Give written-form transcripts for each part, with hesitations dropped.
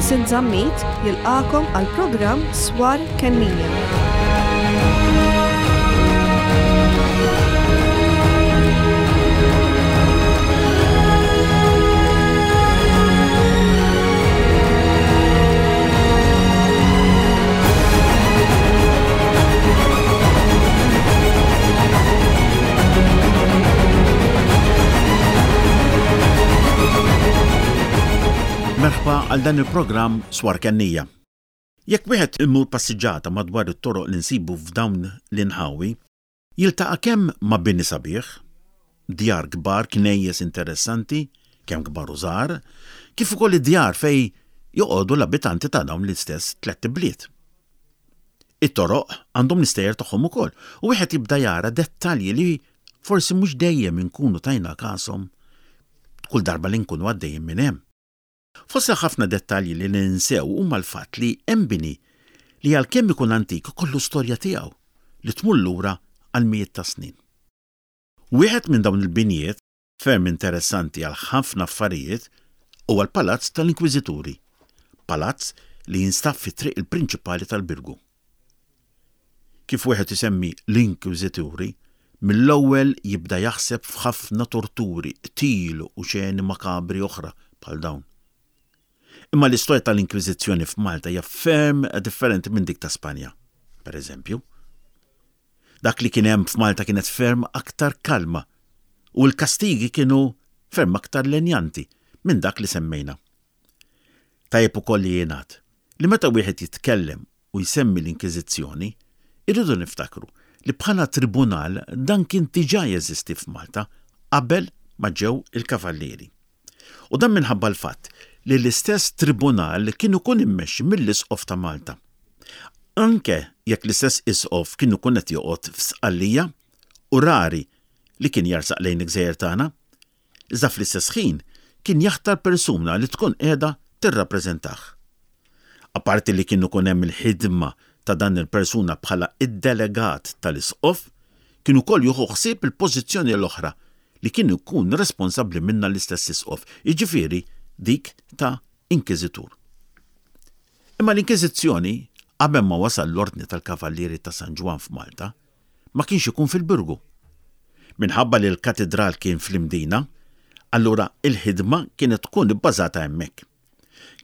Vincent Zammit jilqagħkom għall-programm Swar Kennija. Merħba għal dan il-programm Swar Kennija. Jekk wieħed imur passiġġata madwar it-toroq li nsibu f'dawn l-inħawi, jiltaqa' kemm ma' bini sabiħ, djar kbar, knejjes interessanti, kemm kbar u żgħar, kif ukoll id-djar fejn joqogħdu l-abitanti ta' dawn l-istess tlett ibliet. It-toroq għandhom l-istejjer tagħhom ukoll u wieħed jibda jara dettalji li forsi mhux dejjem inkunu tajna kashom kull darba li nkunu għaddejjin minn hemm. Fost il-ħafna dettalji li ninsew huma l-fatt li hemm bini li għalkemm ikun antik ikollu storja tiegħu li tmur lura għal mijiet ta' snin. Wieħed minn dawn il-binjiet, ferm interessanti għal ħafna affarijiet, huwa l-Palazz tal-Inkwiżituri, palazz li jinstab fit-triq il-prinċipali tal-Birgu. Kif wieħed isemmi l-Inkwiżituri, mill-ewwel jibda jaħseb f'ħafna torturi, qtil u xeni makabri oħra bħal dawn. Imma l-istorja tal-Inkwiżizzjoni f'Malta hija ferm differenti minn dik ta' Spanja, per eżempju. Dak li kien hemm f'Malta kienet ferm aktar kalma u l-kastigi kienu ferm aktar lenjanti minn dak li semmejna. Tajjeb ukoll li jingħad li meta wieħed jitkellem u jsemmi l-Inkiżizzjoni, irridu niftakru li bħala tribunal dan kien diġà jeżisti f'Malta qabel ma ġew il-Kavallieri. U dan minħabba l-fatt li l-istess tribunal kien ikun immexxi mill-Isqof ta' Malta. Anke jekk l-istess Isqof kien ikun qed joqgħod f'Sqallija u rari li kien jarsaq lejn il-gżejjer tagħna, iżda fl-istess ħin kien jaħtar persuna li tkun qiegħda tirrappreżentah. Apparti li kien ikun hemm il-ħidma ta' dan il-persuna bħala id-delegat tal-isqof, kien ukoll jieħu ħsieb il-pożizzjoni l-oħra li kien ikun responsabbli minnha l-istess isqof, jiġifieri dik ta' inkiżitur. Imma l-Inkiżizzjoni, qabel ma wasal l-Ordni tal-Kavallieri ta' San Ġwann f'Malta, ma kienx ikun fil-Birgu. Minħabba li l-katidral kien fl-Imdina, allura il-ħidma kienet tkun ibbażata hemmhekk.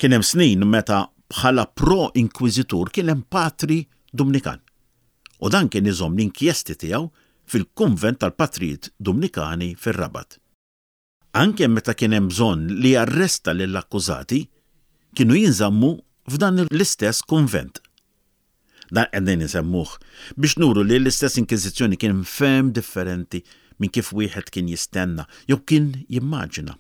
Kien hemm snin meta bħala pro-inkwiżitur kien hemm patri Dumnikan. U dan kien iżomm l-inkjesti tiegħu fil-kunvent tal-patrijiet Dumnikani fir-Rabat. Anke meta kien hemm bżonn li jarresta lill-akkużati, kienu jinżammu f'dan l-istess kunvent. Dan qegħdin insemmuh biex nuru li l-istess Inkiżizzjoni kien ferm differenti minn kif wieħed kien jistenna jew kien jimmaġina.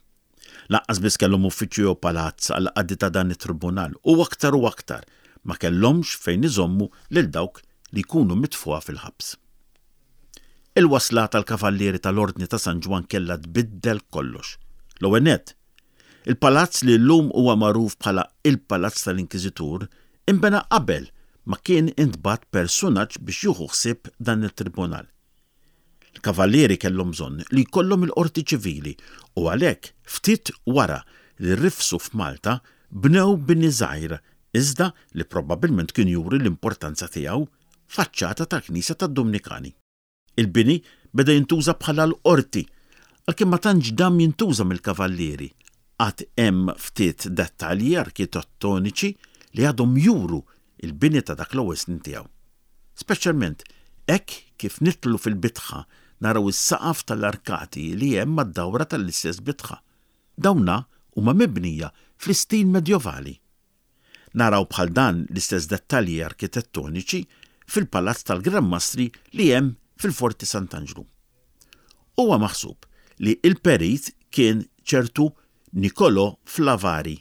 Lanqas biss kellhom uffiċċju jew palazz għall-qadi ta' dan it-tribunal u aktar u aktar ma kellhomx fejn iżommu lil dawk li jkunu mitfugħa fil-ħabs. Il-wasla tal-Kavallieri tal-Ordni ta' San Ġwann kellha tbiddel kollox. L-ewwel nett, il-palazz li llum huwa magħruf bħala il-Palazz tal-Inkiżitur inbena qabel ma kien intbagħat persunaġġ biex jieħu ħsieb dan it-tribunal. Il-Kavallieri kellhom bżonn li jkollhom il-qorti ċivili u għalhekk ftit wara li rifsu f'Malta bnew bini żgħir iżda li probabbilment kien juri l-importanza tiegħu faċċata tal-knisja tad-Dumnikani. Il-bini beda jintuża bħala l-qorti, għalkemm ma tantx dam jintuża mill-kavallieri, għad hemm ftit dettalji arkitettoniċi li għadhom juru l-bini ta' dak l-ewwel snin tiegħu. Speċjalment hekk kif nidħlu fil-bitħa naraw is-saqaf tal-arkati li hemm mad-dawra tal-istess bitħa. Dawna huma mibnija fl-istil medjovali. Naraw bħal dan l-istess dettalji arkitettoniċi fil-Palazz tal-Gran Mastri li hemm fil-Forti Sant'Anġlu. Huwa maħsub li l-perit kien ċertu Nicolò Flavari.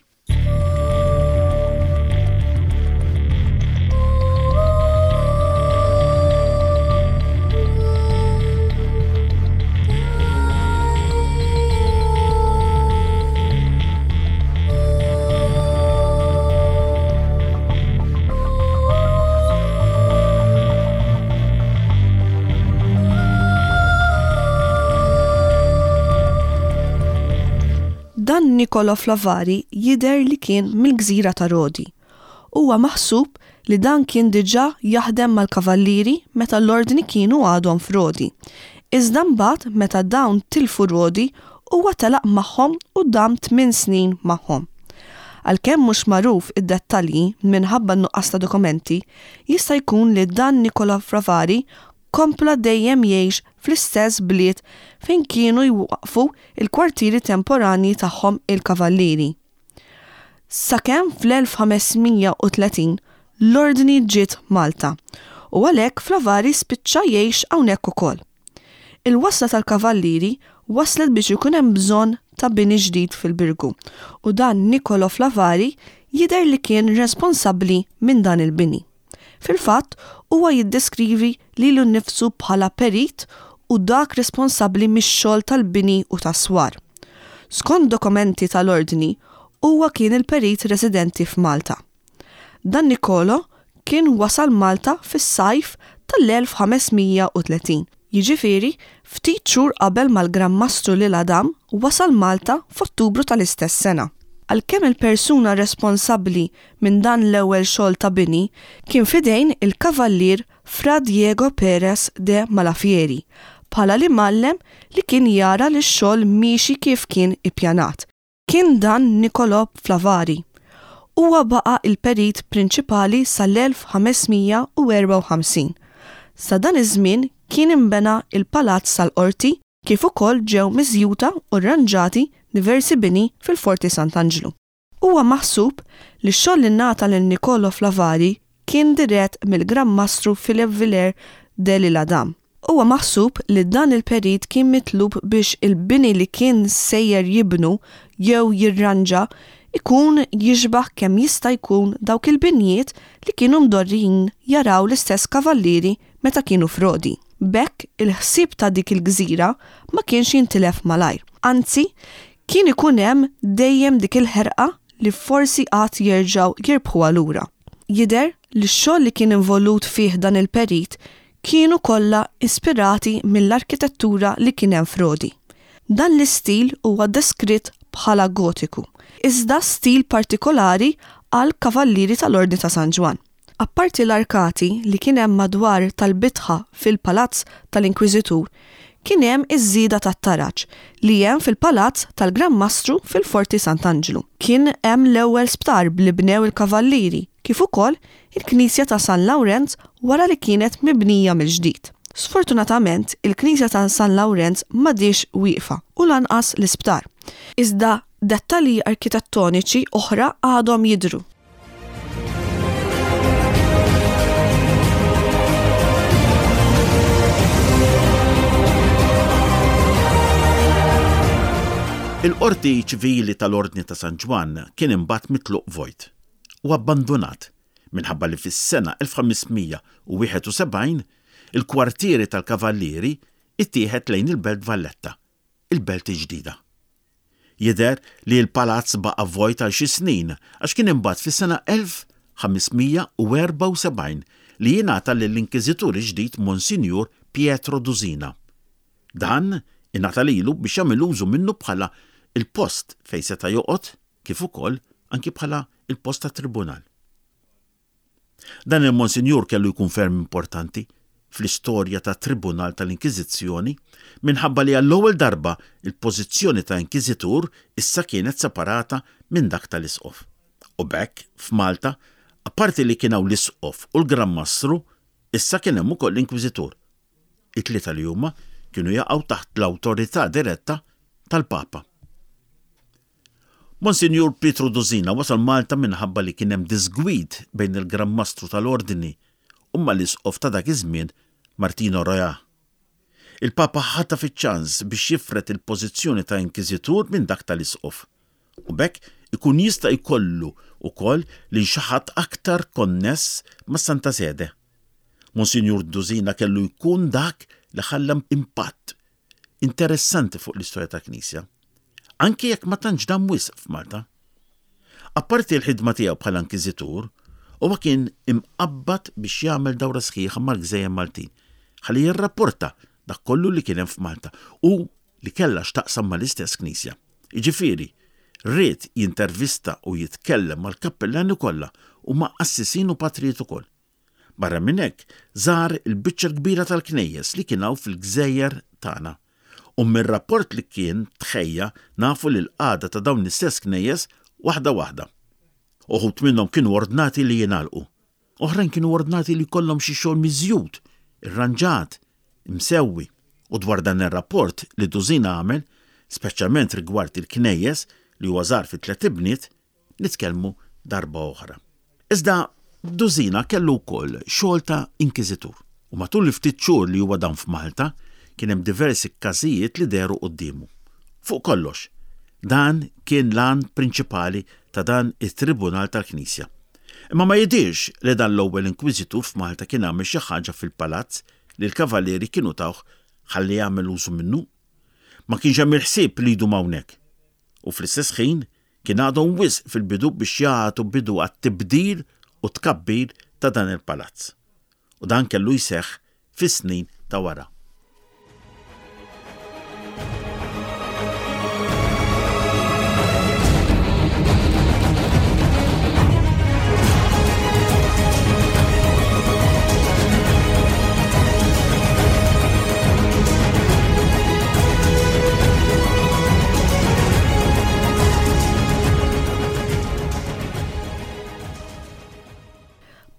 Dan. Niccolò Flavari jidher li kien mill-gżira ta' Rodi. Huwa maħsub li dan kien diġà jaħdem mal-Kavallieri meta l-Ordni kienu għadhom f'Rodi. Iżda mbagħad meta dawn tilfu Rodi huwa telaq magħhom u dam tminn snin magħhom. Għalkemm mhux magħruf id-dettalji minħabba n-nuqqas ta' dokumenti, jista' jkun li dan Niccolò Fravari kompla dejjem jgħix fl-istess bliet fejn kienu jwaqqfu l-kwartieri temporanji tagħhom il-Kavallieri. Sakemm fl-1530 l-Ordni ġiet Malta u għalhekk Flavari spiċċa jgħix hawnhekk ukoll. Il-wasla tal-Kavallieri wasslet biex ikun hemm bżonn ta' bini ġdid fil-Birgu u dan Niccolò Flavari jidher li kien responsabbli minn dan il-bini. Fil-fatt, huwa jiddeskrivi lilu nnifsu bħala perit u dak responsabbli mix-xogħol tal-bini u tas-swar. Skont dokumenti tal-Ordni, huwa kien il-perit residenti f'Malta. Dan Nicolo kien wasal Malta fis-sajf tal-1530, jiġifieri ftit xhur qabel ma l-Gran Mastru L'Isle-Adam wasal Malta f'Ottubru tal-istess sena. Għalkemm il-persuna responsabbli minn dan l-ewwel xogħol ta' bini kien f'idejn il-Kavallier Fra Diego Perez de Malafieri bħala l-imgħallem li kien jara li x-xogħol miexi kif kien ippjanat, kien dan Niccolò Flavari. Huwa baqa' il-perit prinċipali sal-1554. Sa dan iż-żmien kien inbena l-Palazz tal-Qorti kif ukoll ġew miżjuda u rranġati diversi bini fil-Forti Sant'Anġlu. Huwa maħsub li x-xogħol li ngħata lil Niccolò Flavari kien dirett mill-Gran Mastru Philip Villers de l'Isle-Adam. Huwa maħsub li dan il-perit kien mitlub biex il-bini li kien sejjer jibnu jew jirranġa jkun jixbah kemm jista' jkun dawk il-binjiet li kienu mdorrijin jaraw l-istess kavallieri meta kienu f'Rodi. B'hekk il-ħsieb ta' dik il-gżira ma kienx jintilef malajr. Anzi, Kien ikun hemm dejjem dik il-ħerqa li forsi għad jerġgħu jirbħuha lura. Jidher li x-xogħol li kien involut fih dan il-perit kienu kollha ispirati mill-arkitettura li kien hemm f'Rodi. Dan l-istil huwa deskritt bħala Gotiku, iżda stil partikolari għall-Kavallieri tal-Ordni ta' San Ġwann. Apparti l-arkati li kien hemm madwar tal-bitħa fil-Palazz tal-Inkwiżitur, kien hemm iż-żieda tat-taraġ li hemm fil-Palazz tal-Gran Mastru fil-Forti Sant'Anġlu. Kien hemm l-ewwel sptar li bnew il-Kavallieri kif ukoll il-Knisja ta' San Lawrenz wara li kienet mibnija mill-ġdid. Sfortunatament il-Knisja ta' San Lawrenz m'għadhiex wieqfa u lanqas l-isptar. Iżda dettalji arkitettoniċi oħra għadhom jidhru. Il-Qorti Ċivili tal-Ordni ta' San Ġwann kien imbagħad mitluq vojt u abbandunat minħabba li fis-sena 1571 il-kwartieri tal-Kavallieri ittieħed lejn il-Belt Valletta, il-Belt il-Ġdida. Jidher li l-palazz baqa' vojt għal xi snin għax kien imbagħad fis-sena 1574 li jingħata lill-Inkiżitur il-ġdid Monsinjur Pietro Dusina. Dan ingħata lilu biex jagħmel użu minnu bħala l-post fejn seta' joqgħod kif ukoll anki bħala l-post tat-tribunal. Dan il-Monsinjur kellu jkun ferm importanti fl-istorja tat-Tribunal tal-Inkiżizzjoni minħabba li għall-ewwel darba l-pożizzjoni ta' Inkiżitur issa kienet separata minn dak tal-Isqof. U b'hekk, f'Malta, apparti li kien hawn l-Isqof u l-Gran Mastru, issa kien hemm ukoll l-Inkwiżitur. It-tlieta li huma kienu jaqgħu taħt l-awtorità diretta tal-Papa. Monsinjur Pietru Dusina wasal Malta minħabba li kien hemm diżgwid bejn il-Gran Mastru tal-Ordni u mal-Isqof ta' dak iż-żmien Martino Royà. Il-Papa ħataf iċ-ċans biex jifred il-pożizzjoni ta' Inkiżitur minn dak tal-Isqof u b'hekk ikun jista' jkollu wkoll lil xi ħadd aktar konness mas-Santa Sede. Monsinjur Dusina kellu jkun dak li ħalla impatt interessanti fuq l-istorja tal-Knisja, anki jekk ma tantx dam wisq f'Malta. Apparti l-ħidma tiegħu bħala inkiżitur, huwa kien imqabbad biex jagħmel dawra sħiħa mal-gżejjer Maltin ħalli jirrapporta dak kollu li kien hemm f'Malta u li kellha x'taqsam mal-istess Knisja. Jiġifieri, Ried jintervista u jitkellem mal-kappillani kollha u ma' qassisin u patrijiet ukoll. Barra minn hekk, żar il-biċċa l-kbira tal-knejjes li kien hawn fil-gżejjer tagħna. U mir-rapport li kien tħejja nafu li l-qagħda ta' dawn l-istess knejjes waħda waħda. Uħud minnhom kienu ordnati li jingħalqu. Oħrajn kienu ordnati li jkollhom xi xogħol miżjud, irranġat, imsewwi. U dwar dan ir-rapport li Duzina għamel, speċjalment rigward il-knejjes li huwa żar fit-tlett ibniet, nitkellmu darba oħra. Iżda Duzina kellu wkoll xogħol ta' inkiżitur. U matul il-ftit xhur li huwa dam f'Malta, kien hemm diversi każijiet li dehru quddiemu. Fuq kollox, dan kien l-għan prinċipali ta' dan it-tribunal tal-Knisja. Imma ma jidhirx li dan l-ewwel inkwiżitur f'Malta kien għamel xi ħaġa fil-palazz li l-Kavallieri kienu tawh ħalli jagħmel użu minnu. Ma kienx hemm il-ħsieb li jdum hawnhekk. U fl-istess ħin kien għadhom wisq fil-bidu biex jagħtu bidu għat-tibdil u t-tkabbir ta' dan il-palazz. U dan kellu jseħħ fis-snin ta' wara.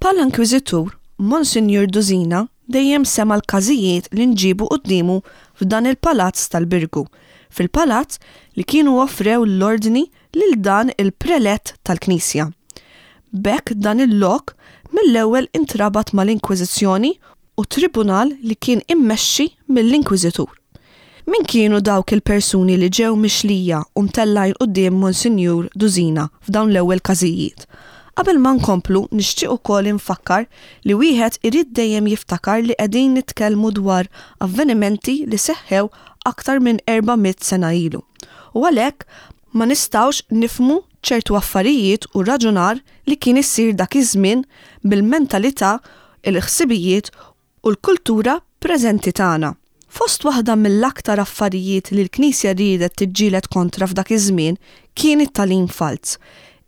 Bħala inkwiżitur, Monsinjur Duzina dejjem sema' l-każijiet li nġiebu quddiemu f'dan il-palazz tal-Birgu, fil-palazz li kienu offrew l-Ordni lil dan il-prelett tal-Knisja. B'hekk dan il-lok mill-ewwel intrabat mal-Inkwiżizzjoni u tribunal li kien immexxi mill-Inkwiżitur. Min kienu dawk il-persuni li ġew mixlija u mtellgħin quddiem Monsinjur Duzina f'dawn l-ewwel każijiet? Qabel ma nkomplu nixtieq ukoll infakkar li wieħed irid dejjem jiftakar li qegħdin nitkellmu dwar avvenimenti li seħħew aktar minn 400 sena ilu u għalhekk ma nistgħux nifhmu ċertu affarijiet u raġunar li kien isir dak iż-żmien bil-mentalità, il-ħsibijiet u l-kultura preżenti tagħna. Fost waħda mill-aktar affarijiet li l-Knisja riedet tiġġieled kontra f'dak iż-żmien kien it-tagħlim falz,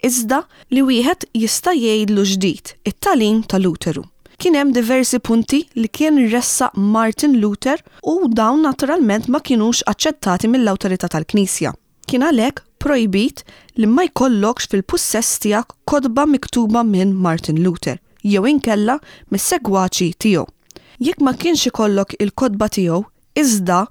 iżda li wieħed jista' jgħidlu ġdid, it-tagħlim ta' Luteru. Kien hemm diversi punti li kien ressaq Martin Luther u dawn naturalment ma kinux aċċettati mill-awtorità tal-Knisja. Kien għalhekk projbit li ma jkollokx fil-pussess tiegħek kotba miktuba minn Martin Luther jew inkella mis-segwaċi tiegħu. Jekk ma kienx ikollok il-kotba tiegħu iżda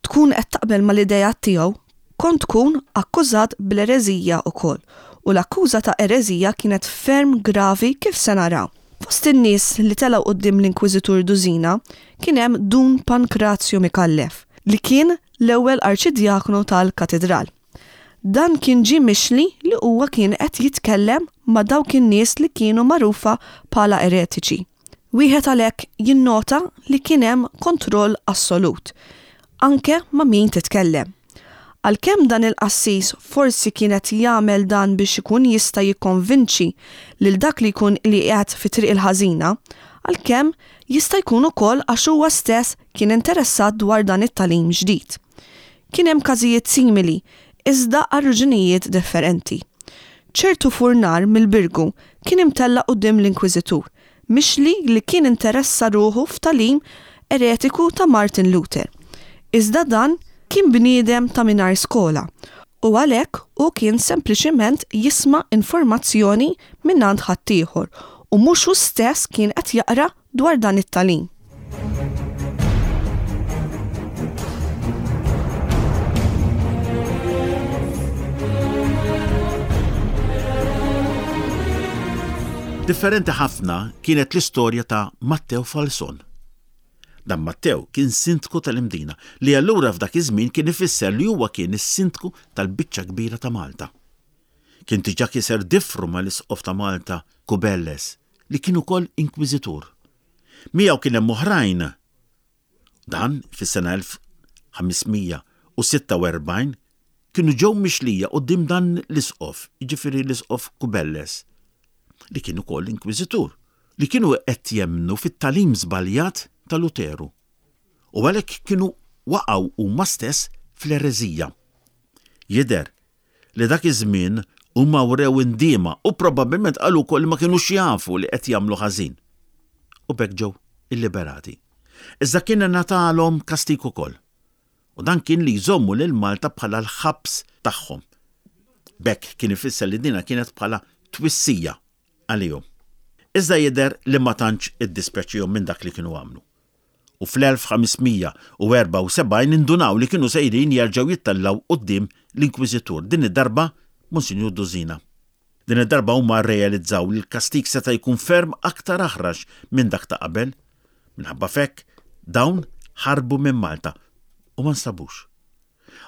tkun qed taqbel mal-ideat tiegħu, kont tkun akkużat bl-ereżija wkoll u l-akkuża ta' ereżija kienet ferm gravi kif se naraw. Fost in-nies li telgħu quddiem l-Inkwiżitur Duzina kien hemm Dun Pankrazju Micallef li kien l-ewwel Arċidjaknu tal-Katidral. Dan kien ġie mixli li huwa kien qed jitkellem ma' dawk in-nies li kienu magħrufa bħala eretiċi. Wieħed għalhekk jinnota li kien hemm kontroll assolut, anke ma' min titkellem. Għalkemm dan il-qassis forsi kien qed jagħmel dan biex ikun jista' jikkonvinċi lil dak li jkun li qiegħed fit-triq il-ħażina, għalkemm jista' jkun ukoll għax huwa stess kien interessat dwar dan it-tagħlim ġdid. Kien hemm każijiet simili, iżda għal raġunijiet differenti. Ċertu furnar mill-Birgu kien imtella' quddiem l-Inkwiżitur, mixli li kien interessa ruħu f'tagħlim eretiku ta' Martin Luther. Iżda dan kien bniedem ta' mingħajr skola u għalhekk hu kien sempliċiment jisma' informazzjoni mingħand ħaddieħor u mhux hu stess kien qed jaqra dwar dan it-tagħlim. Differenti ħafna kienet l-istorja ta' Matteo Falson. Dan Matteo kien sindku tal-Imdina, li allura f'dak iż-żmien kien ifisser li huwa kien is-sindku tal-biċċa kbira ta' Malta. Kien diġà kiser difru mal-Isqof ta' Malta Cubelles, li kien ukoll inkwiżitur. Miegħu kien hemm oħrajn. Dan fis-sena 1546 kienu ġew mixlija quddiem dan l-isqof, jiġifieri l-isqof Cubelles, li kien ukoll inkwiżitur, li kienu qed jemmnu fit-tagħlim żbaljat ta' Luteru u għalhekk kienu waqgħu huma stess fl-ereżija. Jidher. li dak iż-żmien huma wrew indiema u probabbilment qalu wkoll li ma kinux jafu li qed jagħmlu ħażin. U b'hekk ġew illiberati. Iżda kien ingħatalhom kastig ukoll. U dan kien li jżommu lil Malta bħala l-ħabs tagħhom. B'hekk kien ifisser li dina kienet bħala twissija għalihom. Iżda jidher li ma tantx iddispjaċihom minn dak li kienu għamlu. U fl-1574 indunaw li kienu sejrin jerġgħu jittellgħu quddiem l-Inkwiżitur, din id-darba Monsinjur Dusina. Din id-darba huma rrealizzaw li l-kastig seta' jkun ferm aktar aħrax minn dak ta' qabel. Minħabba f'hekk, dawn ħarbu minn Malta u ma nstabux.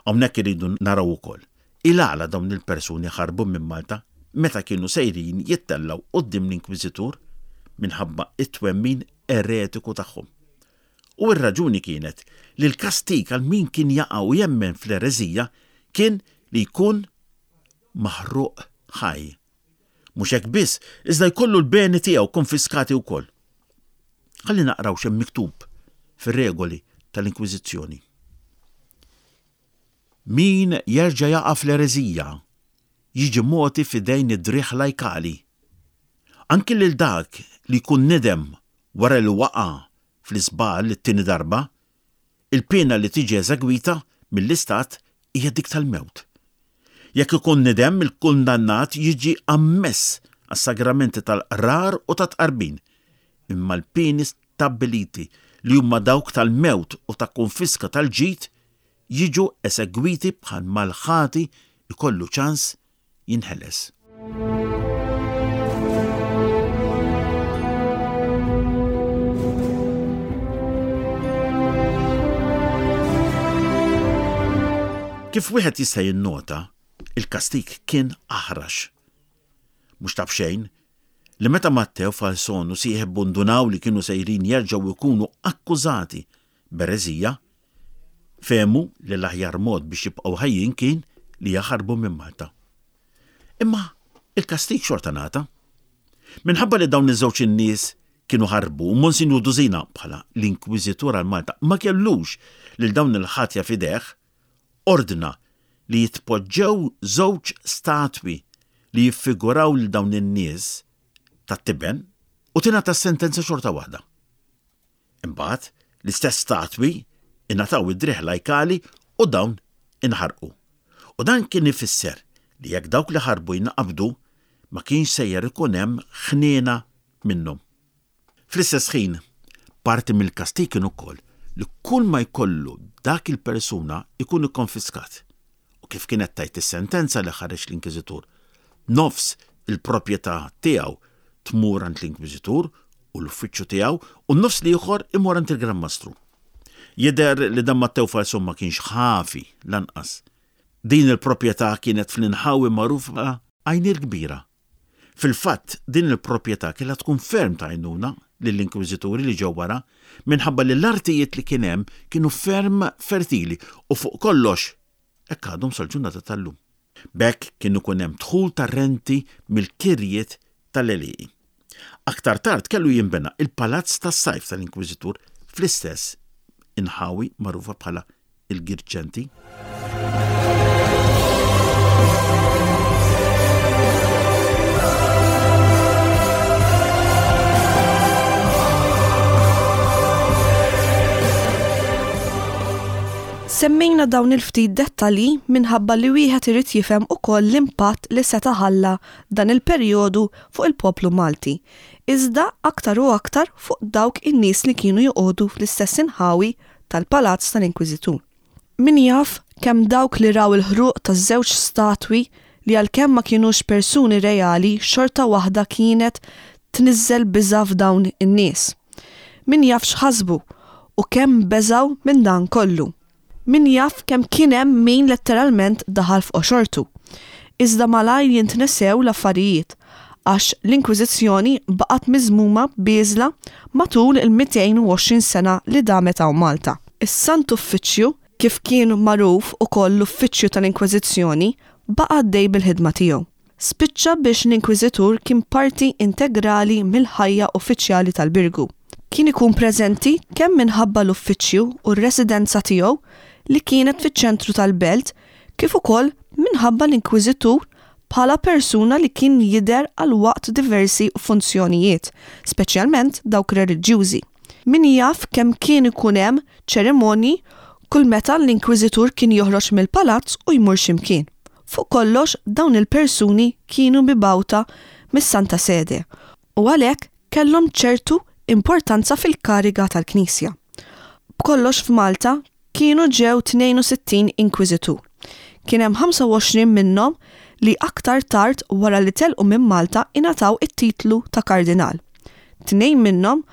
Hawnhekk irridu naraw ukoll il-għala dawn il-persuni ħarbu minn Malta meta kienu sejrin jittellgħu quddiem l-Inkwiżitur minħabba t-twemmin eretiku tagħhom. U r-raġuni kienet li l-kastig għal min kien jaqa' u jemmen fl-ereżija kien li jkun maħruq ħaj. Mhux hekk biss, iżda jkollu l-beni tiegħu konfiskati wkoll. Ħalli naqraw x'hemm miktub fir-regoli tal-Inkwiżizzjoni. Min jerġa' jaqa' fl-ereżija jiġi mogħti f'idejn id-driegħ lajkali. Anki lil dak li jkun nidem wara li waqa' fl-iżball it-tieni darba, Il-piena li tiġi eżegwita mill-Istat hija dik tal-mewt. Jekk ikun nidem, il-kundannat jiġi ammess għas-sagramenti tal-qrar u tat-tqarbin, imma l-pieni stabbiliti li huma dawk tal-mewt u ta' konfiska tal-ġid jiġu esegwiti bħalma l-ħati jkollu ċans jinħeles. Kif wieħed jista' jinnota, il-kastig kien aħrax. Mhux ta' b'xejn li meta Matteo Falson u sieħbu ndunaw li kienu sejrin jerġgħu jkunu akkużati b'ereżija, Fehmu li l-aħjar mod biex jibqgħu ħajjin kien li jaħarbu minn Malta. Imma il-kastig xorta ngħata. Minħabba li dawn iż-żewġ in-nies kienu ħarbu u Monsinjur Dusina bħala l-Inkwiżitur għal Malta ma kellux lil dawn il-ħatja f'idejh, ordna li jitpoġġew żewġ statwi li jiffiguraw lil dawn in-nies tat-tiben u tingħata s-sentenza xorta waħda. Imbagħad, l-istess statwi ingħataw id-driegħ lajkali u dawn inħarqu. U dan kien ifisser li jekk dawk li ħarbu jinqabdu, ma kienx sejjer ikun hemm ħniena minnhom. Fl-istess ħin, parti mill-kastig kien ukoll li kull ma jkollu dak il-persuna jkun ikkonfiskat. U kif kienet tgħid is-sentenza li ħareġ l-Inkwiżitur, nofs il-proprjetà tiegħu tmur għand l-Inkwiżitur u l-uffiċċju tiegħu u n-nofs l-ieħor imur għand il-Gran Mastru. Jidher li dan Mattew Falzon ma kienx ħafi lanqas. Din il-proprjetà kienet fl-inħawi magħrufa Għajn il-Kbira. Fil-fatt, din il-proprjetà kellha tkun ferm ta' għajnuna lill-Inkwiżituri li ġew wara, minħabba li l-artijiet li kien hemm kienu ferm fertili u fuq kollox hekk għadhom sal-ġurnata tal-lum. B'hekk kien ikun hemm dħul ta' renti mill-kirjiet tal-għelieqi. Aktar tard kellu jinbena il-Palazz tas-Sajf tal-Inkwiżitur fl-istess inħawi magħrufa bħala il-Girgenti. Semmejna dawn il-ftit dettalji minħabba li wieħed irid jifhem ukoll l-impatt li seta' ħalla dan il-perjodu fuq il-poplu Malti, iżda aktar u aktar fuq dawk in-nies li kienu joqogħdu fl-istess inħawi tal-Palazz tal-Inkwiżitur. Min jaf kemm dawk li raw il-ħruq taż-żewġ statwi li għalkemm ma kinux persuni reali xorta waħda kienet tniżżel biża' f'dawn in-nies. Min jaf x'ħasbu u kemm beżgħu minn dan kollu. Min jaf kemm kien hemm min letteralment daħal f'qoxortu. Iżda malajr jintnesew l-affarijiet għax l-Inkwiżizzjoni baqgħet miżmuma bieżla matul il-220 sena li damet hawn Malta. Is-Sant Uffiċċju, kif kien magħruf ukoll l-Uffiċċju tal-Inkwiżizzjoni, baqa' għaddej bil-ħidma tiegħu. Spiċċa biex l-Inkwiżitur kien parti integrali mill-ħajja uffiċjali tal-Birgu. Kien ikun preżenti kemm minħabba l-uffiċċju u r-residenza tiegħu li kienet fiċ-ċentru tal-belt. kif ukoll minħabba l-Inkwiżitur bħala persuna li kien jidher għal waqt diversi funzjonijiet, speċjalment dawk reliġjużi. Min jaf kemm kien ikun hemm ċerimonji kull meta l-Inkwiżitur kien joħroġ mill-palazz u jmur xi mkien. Fuq kollox dawn il-persuni kienu mibgħuta mis-Santa Sede u għalhekk kellhom ċertu importanza fil-kariga tal-Knisja. B'kollox f'Malta kienu ġew 62 inkwiżitur. Kien hemm 25 minnhom li aktar tard wara li telqu minn Malta ingħataw it-titlu ta' kardinal. Tnejn minnhom,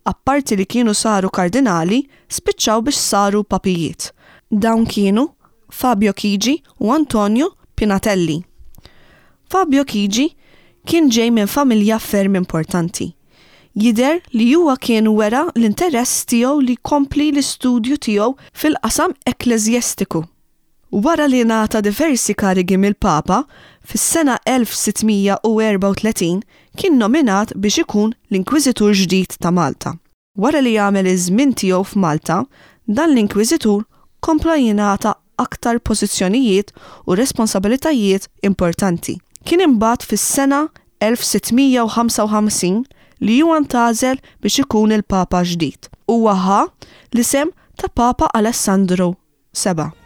apparti li kienu saru kardinali, spiċċaw biex saru papijiet. Dawn kienu Fabio Chigi u Antonio Pinatelli. Fabio Chigi kien ġej minn familja ferm importanti. Jidher li huwa kien wera l-interess tiegħu li jkompli l-istudju tiegħu fil-qasam ekkleżjestiku. Wara li ngħata diversi karigi mill-Papa, fis-sena 1634 kien nominat biex ikun l-Inkwiżitur ġdid ta' Malta. Wara li għamel iż-żmien tiegħu f'Malta, dan l-Inkwiżitur kompla jingħata aktar pożizzjonijiet u responsabilitajiet importanti. Kien imbagħad fis-sena 1655 li huwa ntgħażel biex ikun il-Papa ġdid. Huwa ħa l-isem ta' Papa Alessandru 7.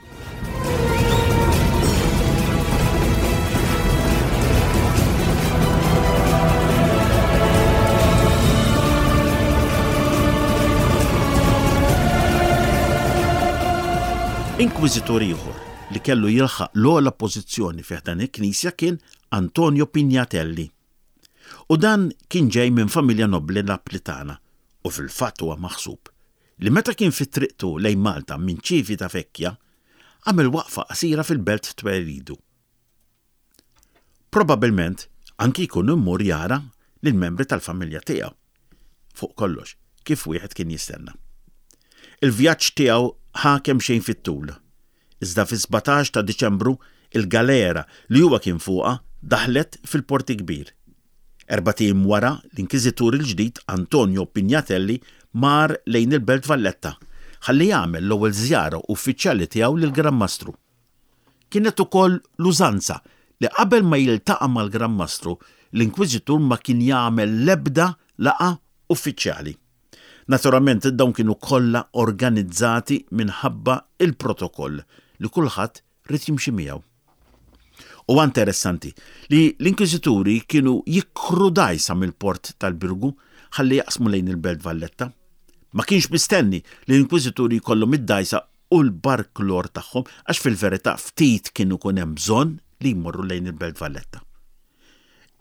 Inkwiżitur ieħor li kellu jilħaq l-ogħla pożizzjoni fi ħdan il-Knisja kien Antonio Pignatelli. U dan kien ġej minn familja nobbli Naplitana u fil-fatt huwa maħsub li meta kien fi triqtu lejn Malta minn Civitavecchia, għamel waqfa qasira fil-belt twelidu. Probabbilment anki jkun imur jara lill-membri tal-familja tiegħu. Fuq kollox, kif wieħed kien jistenna. Il-vjaġġ tiegħu ħa kemxejn fit-tul. Iżda fis-17 ta' Diċembru il-galera li huwa kien fuqha daħlet fil-Port il-Kbir. Erbat ijiem wara, l-Inkiżitur il-ġdid Antonio Pignatelli mar lejn il-Belt Valletta ħalli jagħmel l-ewwel żjara uffiċjali tiegħu lill-Gran Mastru. Kienet ukoll l-użanza li qabel ma jiltaqa' mal-Gran Mastru, l-Inkwiżitur ma kien jagħmel l-ebda laqgħa uffiċjali. Naturalment dawn kienu kollha organizzati minħabba l-protokoll li kulħadd ried jimxi miegħu. Huwa interessanti li l-Inkwiżituri kienu jikru dgħajsa mill-port tal-Birgu ħalli jaqsmu lejn il-Belt Valletta. Ma kienx mistenni li l-Inkwiżituri jkollhom id-dgħajsa u l-barklor tagħhom għax fil-verità ftit kien ikun hemm bżonn li jmorru lejn il-Belt Valletta.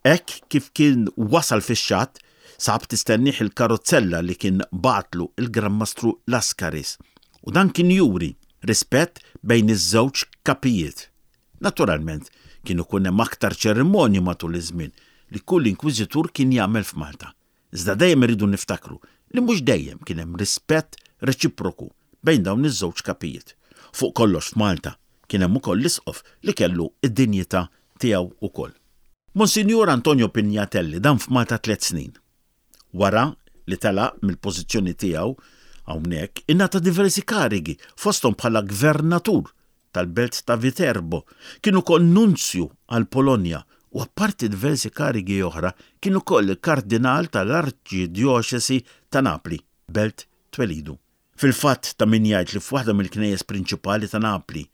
Hekk kif kien wasal fix-xatt, sab tistennih il-karozzella li kien bagħatlu l-Gran Mastru Lascaris u dan kien juri rispett bejn iż-żewġ kapijiet. Naturalment, kien ikun hemm aktar ċerimonji matul iż-żmien li kull inkwiżitur kien jagħmel f'Malta. Iżda dejjem irridu niftakru li mhux dejjem kien hemm rispett reċiproku bejn dawn iż-żewġ kapijiet. Fuq kollox f'Malta kien hemm ukoll l-isqof li kellu d-dinjità tiegħu wkoll. Monsinjur Antonio Pignatelli dam f'Malta tliet snin. Wara li telaq mill-pożizzjoni tiegħu hawnhekk, ingħata diversi karigi fosthom bħala gvernatur tal-belt ta' Viterbo, kien ukoll nunzju għall-Polonja u apparti diversi karigi oħra kien ukoll il-kardinal tal-Arċidjoċesi ta' Napli, belt twelidu. Fil-fatt ta' min jgħid li f'waħda mill-knejjes prinċipali ta' Napli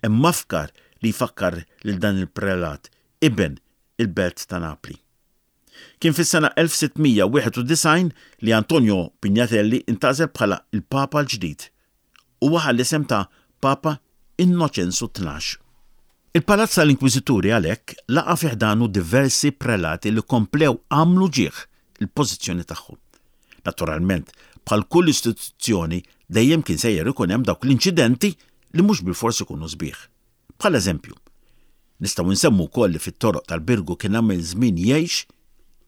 hemm mafkar li jfakkar lil dan il-prelat, iben il-belt ta' Napli. Kien fis-sena 1691 li Antonio Pignatelli ntgħażel bħala l-Papa l-ġdid. Huwa ħa l-isem ta' Papa Innoċenzu Tnax. Il-Palazz tal-Inkwiżituri għalhekk laqa' fi ħdanu diversi prelati li komplew għamlu ġieħ il-pożizzjoni tagħhom. Naturalment, bħal kull istituzzjoni dejjem kien sejjer ikun hemm dawk l-inċidenti li mhux bilfors ikunu sbieħ. Bħala eżempju, nistgħu nsemmu wkoll li fit-toroq tal-Birgu kien għamel żmien jgħix,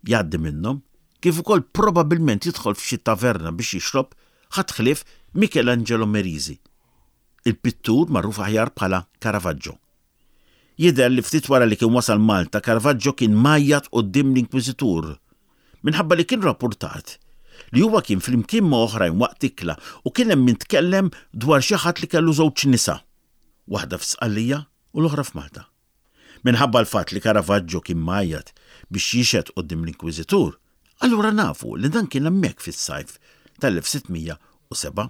jgħaddi minnhom, kif ukoll probabbilment jidħol f'xi taverna biex jixrob, ħadd ħlief Michelangelo Merisi, il-pittur magħruf aħjar bħala Caravaggio. Jidher li ftit wara li kien wasal Malta, Caravaggio kien mgħajjat quddiem l-Inkwiżitur minħabba li kien rappurtat li huwa kien flimkien ma' oħrajn waqt ikla u kien hemm min tkellem dwar xi ħadd li kellu żewġ nisa, waħda fi Sqallija. u l-oħra f'Malta. Minħabba l-fatt li Caravaggio kien mgħajjat biex jixhed quddiem l-Inkwiżitur, allura nafu li dan kien hemmhekk fis-sajf tal-1607.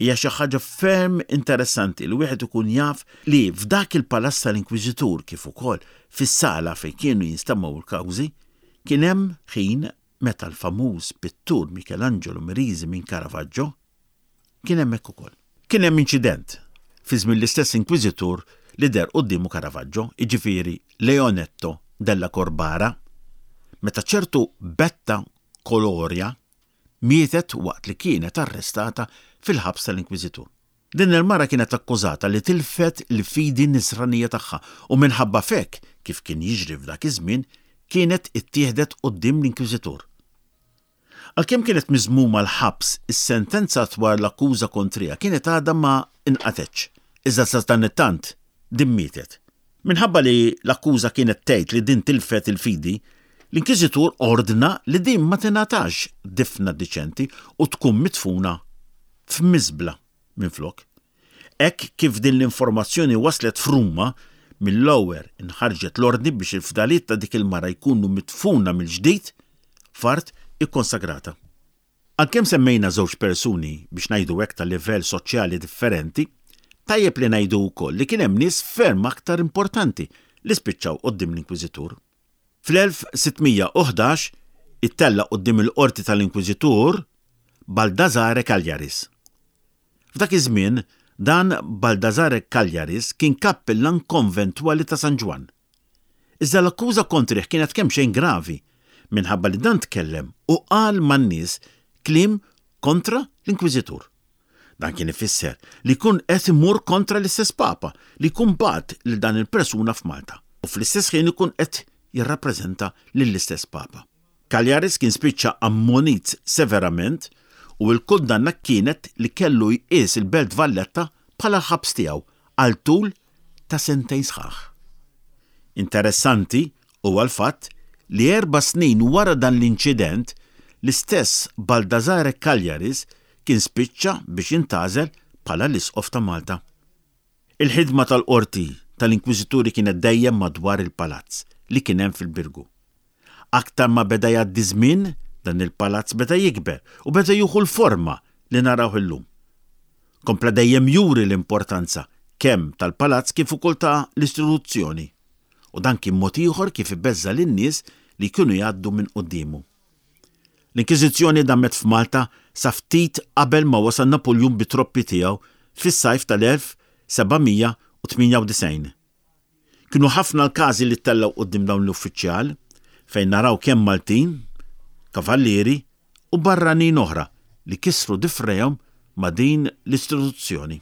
Hija xi ħaġa ferm interessanti li wieħed ikun jaf li f'dak il-palazz tal-Inkwiżitur kif ukoll fis-sala fejn kienu jinstemgħu l-kawżi kien hemm ħin meta l-famuż pittur Michelangelo Merisi minn Caravaggio kien hemmhekk ukoll. Kien hemm inċident fi żmien l-istess inkwiżitur li deher quddiemu Caravaggio, jiġifieri Leonetto della Corbara, meta ċertu Betta Coloria mietet waqt li kienet arrestata fil-ħabs tal-inkwiżitur. Din il-mara kienet akkużata li tilfet il-fidi nisranija tagħha u minħabba f'hekk, kif kien jiġri f'dak iż-żmien, kienet ittieħdet quddiem l-inkwiżitur. Għalkemm kienet miżmuma l-ħabs, is-sentenza dwar l-akkuża kontriha kienet għadha ma nqatgħetx. Iżda sadanittant, din mietet. Minħabba li l-akkuża kienet tgħid li din tilfet il-fidi, l-Inkwiżitur ordna li din ma tingħatax difna diċenti u tkun midfuna f'miżbla minflok. Hekk kif din l-informazzjoni waslet f'Ruma, mill-ewwel inħarġet l-ordni biex il-fdaliet ta' dik il-mara jkunu midfuna mill-ġdid f'art ikkonsagrata. Għalkemm semmejna żewġ persuni biex ngħidu hekk ta' livell soċjali differenti, tajjeb li ngħidu wkoll li kien hemm nies ferm aktar importanti li spiċċaw quddiem l-Inkwiżitur. Fl-1611 ittella' quddiem il-qorti tal-Inkwiżitur Baldassare Cagliaris. F'dak iż-żmien, dan Baldassare Cagliaris kien kappillan konventwali ta' San Ġwann. Iżda l-akkuża kontrih kienet kemxejn gravi, minħabba li dan tkellem u qal man-nies kliem kontra l-Inkwiżitur. Dan kien ifisser li jkun qed imur kontra l-istess Papa li jkun bagħat lil dan il-persuna f'Malta u fl-istess ħin ikun qed jirrappreżenta lill-istess Papa. Cagliaris kien spiċċa ammonit severament u l-kundanna kienet li kellu jqies il-Belt Valletta bħala l-ħabs tiegħu għal tul ta' sentejn sħaħ. Interessanti huwa l-fatt li erba' snin wara dan l-inċident, l-istess Baldassare Cagliaris kien spiċċa biex intgħażel bħala l-Isqof ta' Malta. Il-ħidma tal-qorti tal-Inkwiżituri kienet dejjem madwar il-palazz li kien hemm fil-Birgu. Aktar ma beda jgħaddi żmien, dan il-palazz beda jikber u beda jieħu l-forma li narawh illum. Kompla dejjem juri l-importanza kemm tal-palazz kif ukoll ta' l-istituzzjoni. U dan kien mod ieħor kif ibeżża' lin-nies li jkunu jgħaddu minn quddiemu. L-Inkiżizzjoni damet f'Malta sa ftit qabel ma wasal Napuljun bit-troppi tiegħu fis-sajf tal-1798. Kienu ħafna l-każi li ttellgħu quddiem dawn l-uffiċjal, fejn naraw kemm Maltin, kavallieri u barranin oħra li kisru difrejhom ma' din l-istituzzjoni.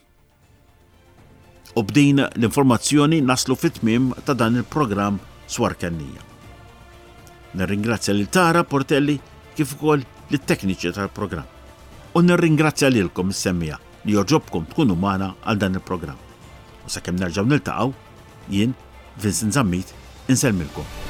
U b'din l-informazzjoni naslu fit-tmiem ta' dan il-programm Swar Kennija. Nirringrazzja lil Tara Portelli kif ukoll lit-tekniċi tal-programm. U nirringrazzja lilkom is-semmiegħa li jogħġobkom tkunu magħna għal dan il-programm. U sakemm nerġgħu niltaqgħu, jien, Vincent Zammit, insellmilkom.